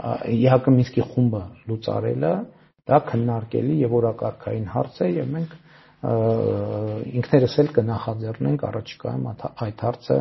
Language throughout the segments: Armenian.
ԵՀԿ Մինսկի խումբը լուծարելը դա քննարկելի եւ օրակարգային հարց է եւ մենք ինքներս էլ կնախաձեռնենք առաջիկայում այդ հարցը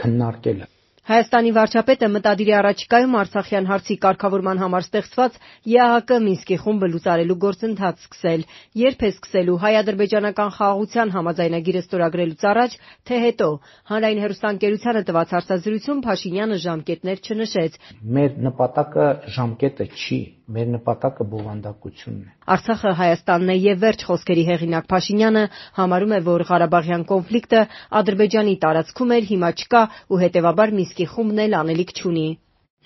քննարկելը։ Հայաստանի վարչապետը մտադիր է առաջիկայում Արցախյան հարցի կարգավորման համար ստեղծված ԵԱՀԿ Մինսկի խումբը լուծարելու գործընթաց սկսել։ Երբ է սկսելու հայ-ադրբեջանական խաղաղության համաձայնագիրը ստորագրելուց առաջ, թե հետո։ Հանրային հեռուստաընկերությանը տված հարցազրույցում Փաշինյանը ժամկետներ չնշեց։ Մեր նպատակը ժամկետը չի, մեր նպատակը բովանդակությունն է։ Արցախը Հայաստանն է եւ վերջ խոսքերի հեղինակ Փաշինյանը համարում է, որ Ղարաբաղյան կոնֆլիկտը Ադրբեջանի տարածքում էր, հիմա չկա ու հետեւաբար Մինսկի խումբն էլ անելիք չունի։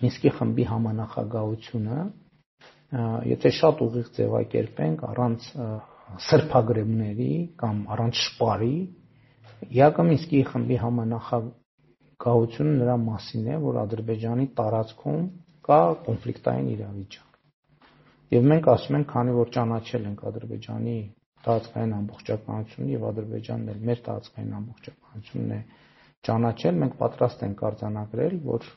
Մինսկի խմբի համանախագահությունը, եթե շատ ուղիղ ձևակերպենք, առանց սրբագրումների կամ առանց շպարի, ԵԱՀԿ Մինսկի խմբի համանախագահությունը նրա մասին է, որ Ադրբեջանի տարածքում կա կոնֆլիկտային իրավիճակ։ Եվ մենք ասում ենք, քանի որ ճանաչել ենք Ադրբեջանի տարածքային ամբողջականությունը եւ Ադրբեջանն էլ մեր տարածքային ամբողջականությունն է ճանաչել, մենք պատրաստ ենք արձանագրել, որ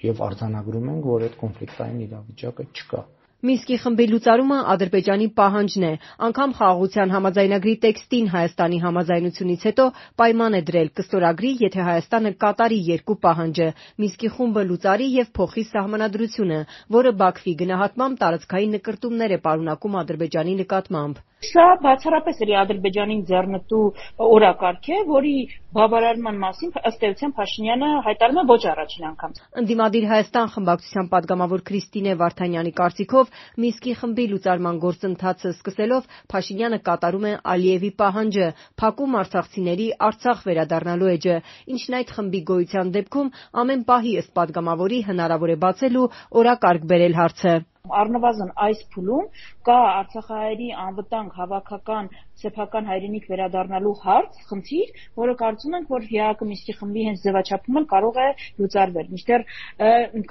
եւ արձանագրում ենք, որ այդ կոնֆլիկտային իրավիճակը չկա։ Մինսկի խմբի լուծարումը Ադրբեջանի պահանջն է։ Անգամ խաղաղության համաձայնագրի տեքստին Հայաստանի համաձայնությունից հետո պայման է դրել կստորագրի, եթե Հայաստանը կատարի երկու պահանջը՝ Մինսկի խումբը լուծարի եւ փոխի սահմանադրությունը, որը Բաքվի գնահատմամբ տարածքային նկրտումներ է պարունակում Ադրբեջանի նկատմամբ։ Սա բացառապես Ադրբեջանին ձեռնտու օրակարգ է, որի բավարարման մասին ըստ էության Փաշինյանը հայտարարում է ոչ առաջին անգամ։ Ընդդիմադիր Հայաստան խմբակցության падգամավոր Քրիստինե Վարդանյանի կարծիքով Մինսկի խմբի լուծարման գործընթացը սկսելով Փաշինյանը կատարում է Ալիևի պահանջը՝ փակում արցախցիների Արցախ վերադառնալու էջը, ինչն այդ խմբի գոյության դեպքում ամեն պահի ըստ падգամավորի հնարավոր է բացել ու օրակարգ բերել հարցը։ Առնվազն այս փուլում կա արցախահայերի անվտանգ հավաքական սեփական հայրենիք վերադառնալու հարց, խնդիր, որը կարծում ենք, որ ԵԱՀԿ Մինսկի խմբի հենց ձևաչափումը կարող է լուծարվել, մինչդեռ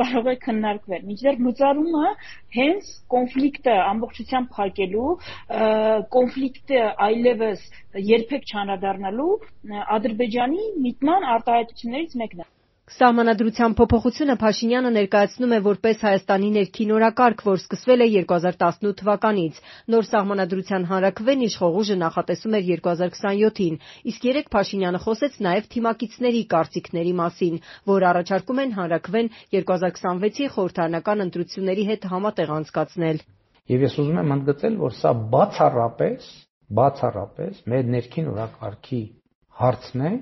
կարող է քննարկվել, մինչդեռ լուծարումը հենց կոնֆլիկտը ամբողջությամբ փակելու, կոնֆլիկտը այլևս երբեք չանդրադառնալու Ադրբեջանի միտման արտահայտություններից մեկն է։ Սահմանադրության փոփոխությունը Փաշինյանը ներկայացնում է որպես Հայաստանի ներքին օրակարգ, որ սկսվել է 2018 թվականից։ Նոր սահմանադրության հանրաքվեն իշխող ուժը նախատեսում էր 2027-ին, իսկ երեկ Փաշինյանը խոսեց նաև թիմակիցների կարծիքների մասին, որ առաջարկում են հանրաքվեն 2026-ի խորհրդարանական ընտրությունների հետ համատեղ անցկացնել։ Եվ ես ուզում եմ ընդգծել, որ սա բացառապես մեր ներքին օրակարգի հարցն է,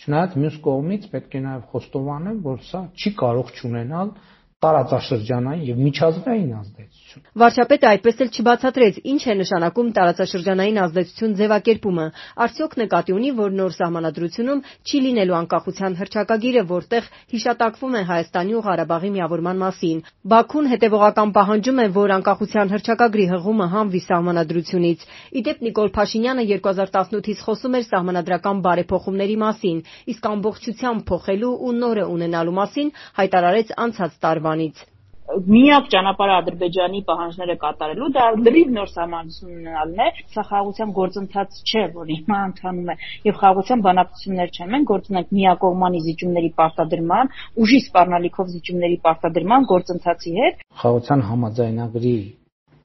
չնայած մյուս կողմից պետք է նաև խոստովանել, որ սա չի կարող չունենալ տարածաշրջանային եւ միջազգային ազդեցություն։ Վարչապետը այդպես էլ չբացատրեց, ինչ է նշանակում տարածաշրջանային ազդեցություն ձևակերպումը։ Արդյոք նկատի ունի, որ նոր սահմանադրությունում չի լինելու անկախության հռչակագիրը, որտեղ հիշատակվում է Հայաստանի ու Ղարաբաղի միավորման մասին։ Բաքուն հետևողական պահանջում է, որ անկախության հռչակագրի հղումը հանվի սահմանադրությունից։ Իդեպ Նիկոլ Փաշինյանը 2018-ից խոսում էր սահմանադրական բարեփոխումների մասին, իսկ ամբողջությամբ փոխելու ու նորը ունենալու մասին հայտարարեց անցած տարվա։ Միակ ճանապարհը Ադրբեջանի պահանջները կատարելու դա լրիվ նոր սահմանություն ունենալն է։ Սա խաղաղության գործընթաց չէ, որ հիմա ընթանում է, եւ խաղաղության բանակցություններ չեն։ Մենք գործ ունենք միակողմանի զիջումների պարտադրման, ուժի սպառնալիքով զիջումների պարտադրման գործընթացի հետ։ Խաղաղության համաձայնագրի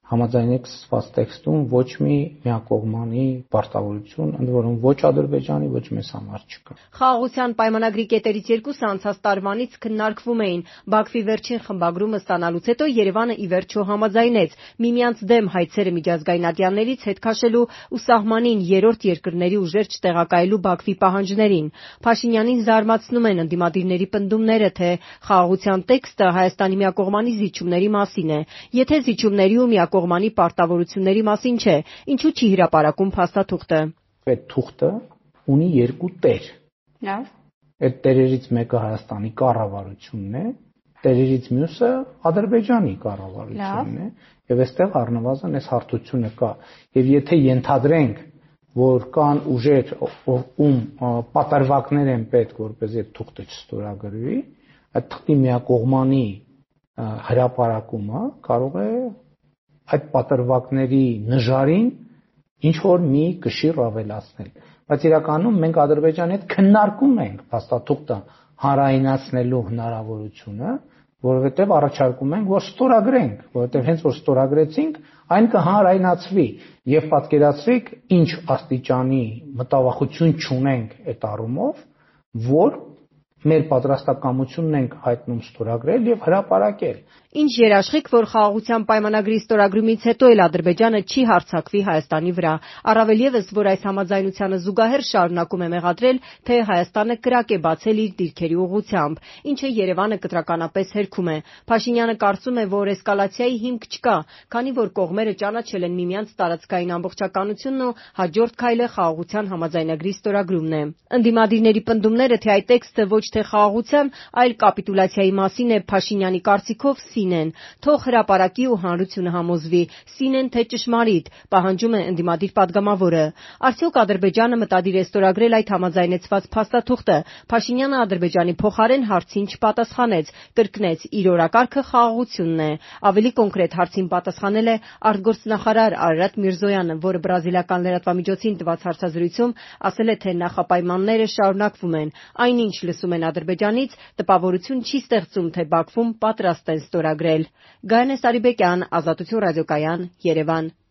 համաձայնեք սպասված տեքստում ոչ մի միակողմանի պարտավորություն, ընդ որում ոչ Ադրբեջանի, ոչ մեզ համար չկա։ Խաղաղության պայմանագրի կետերից երկուսը անցած տարվանից քննարկվում էին։ Բաքվի վերջին խմբագրումը ստանալուց հետո Երևանը ի վերջո համաձայնեց միմյանց դեմ հայցերը միջազգային ատյաններից հետ քաշելու ու սահմանին երրորդ երկրների ուժեր չտեղակայելու Բաքվի պահանջներին։ Փաշինյանին զարմացնում են ընդդիմադիրների պնդումները, թե խաղաղության տեքստը Հայաստանի միակողմանի զիջումների մասին է։ Եթե զիջումների ու կողմանի պարտավորությունների մասին չէ, ինչու չի հրապարակում փաստաթուղթը։ Այդ թուղթը ունի երկու տեր։ Լավ։ Այդ տերերից մեկը Հայաստանի կառավարությունն է, տերերից մյուսը Ադրբեջանի կառավարությունն է, եւ այստեղ առնվազն այս հարթությունը կա։ Եվ եթե ենթադրենք, որ կան ուժեր, ում պատրվակներ են պետք, որպեսզի այդ թուղթը չստորագրվի, այդ թղթի միակողմանի հրապարակումը կարող է այդ պատրվակների նժարին ինչ որ մի կշիռ ավելացնել, բայց իրականում մենք Ադրբեջանի հետ քննարկում ենք փաստաթուղթը հանրայնացնելու հնարավորությունը, որովհետև առաջարկում ենք, որ ստորագրենք, որովհետև հենց որ ստորագրեցինք, այն կհանրայնացվի եւ պատկերացրիք ինչ աստիճանի մտավախություն չունենք այդ առումով, որ մեր պատրաստակամությունն ենք հայտնում ստորագրել եւ հրապարակել։ Ինչ երաշխիք, որ խաղաղության պայմանագրի ստորագրումից հետո էլ Ադրբեջանը չի հարձակվի Հայաստանի վրա, առավել ևս, որ այս համաձայնությանը զուգահեռ շարունակում է մեղադրել, թե Հայաստանը կրակ է բացել իր դիրքերի ուղղությամբ, ինչը Երևանը կտրականապես հերքում է։ Փաշինյանը կարծում է, որ էսկալացիայի հիմք չկա, քանի որ կողմերը ճանաչել են միմյանց տարածքային ամբողջականությունն ու հաջորդ քայլը խաղաղության համաձայնագրի ստորագրումն է։ Ընդդիմադիրների պնդումները, թե այդ տեքստը ոչ թե խաղաղության, այլ կապիտուլյացիայի մասին է, Փաշինյանի կարծիքով սին են, թող հրապարակի ու հանրությունը համոզվի, սին են թե ճշմարիտ, պահանջում է ընդդիմադիր падգամավորը։ Արդյոք Ադրբեջանը մտադիր է ստորագրել այդ համաձայնեցված փաստաթուղթը։ Փաշինյանը Ադրբեջանի փոխարեն հարցին չպատասխանեց, կրկնեց՝ իր օրակարգը խաղաղությունն է։ Ավելի կոնկրետ հարցին պատասխանել է արտգործնախարար Արարատ Միրզոյանը, որը բրազիլական լրատվամիջոցին տված հարցազրույցում ասել է, թե նախապայմանները շարունակվում են։ Այնինչ լսում են Ադրբեջանից, տպավորություն չի ստեղծում, թե Բաքվում պատրաստ են ստորագրել։ Գայանե Սարիբեկյան, Ազատություն ռադիոկայան, Երևան։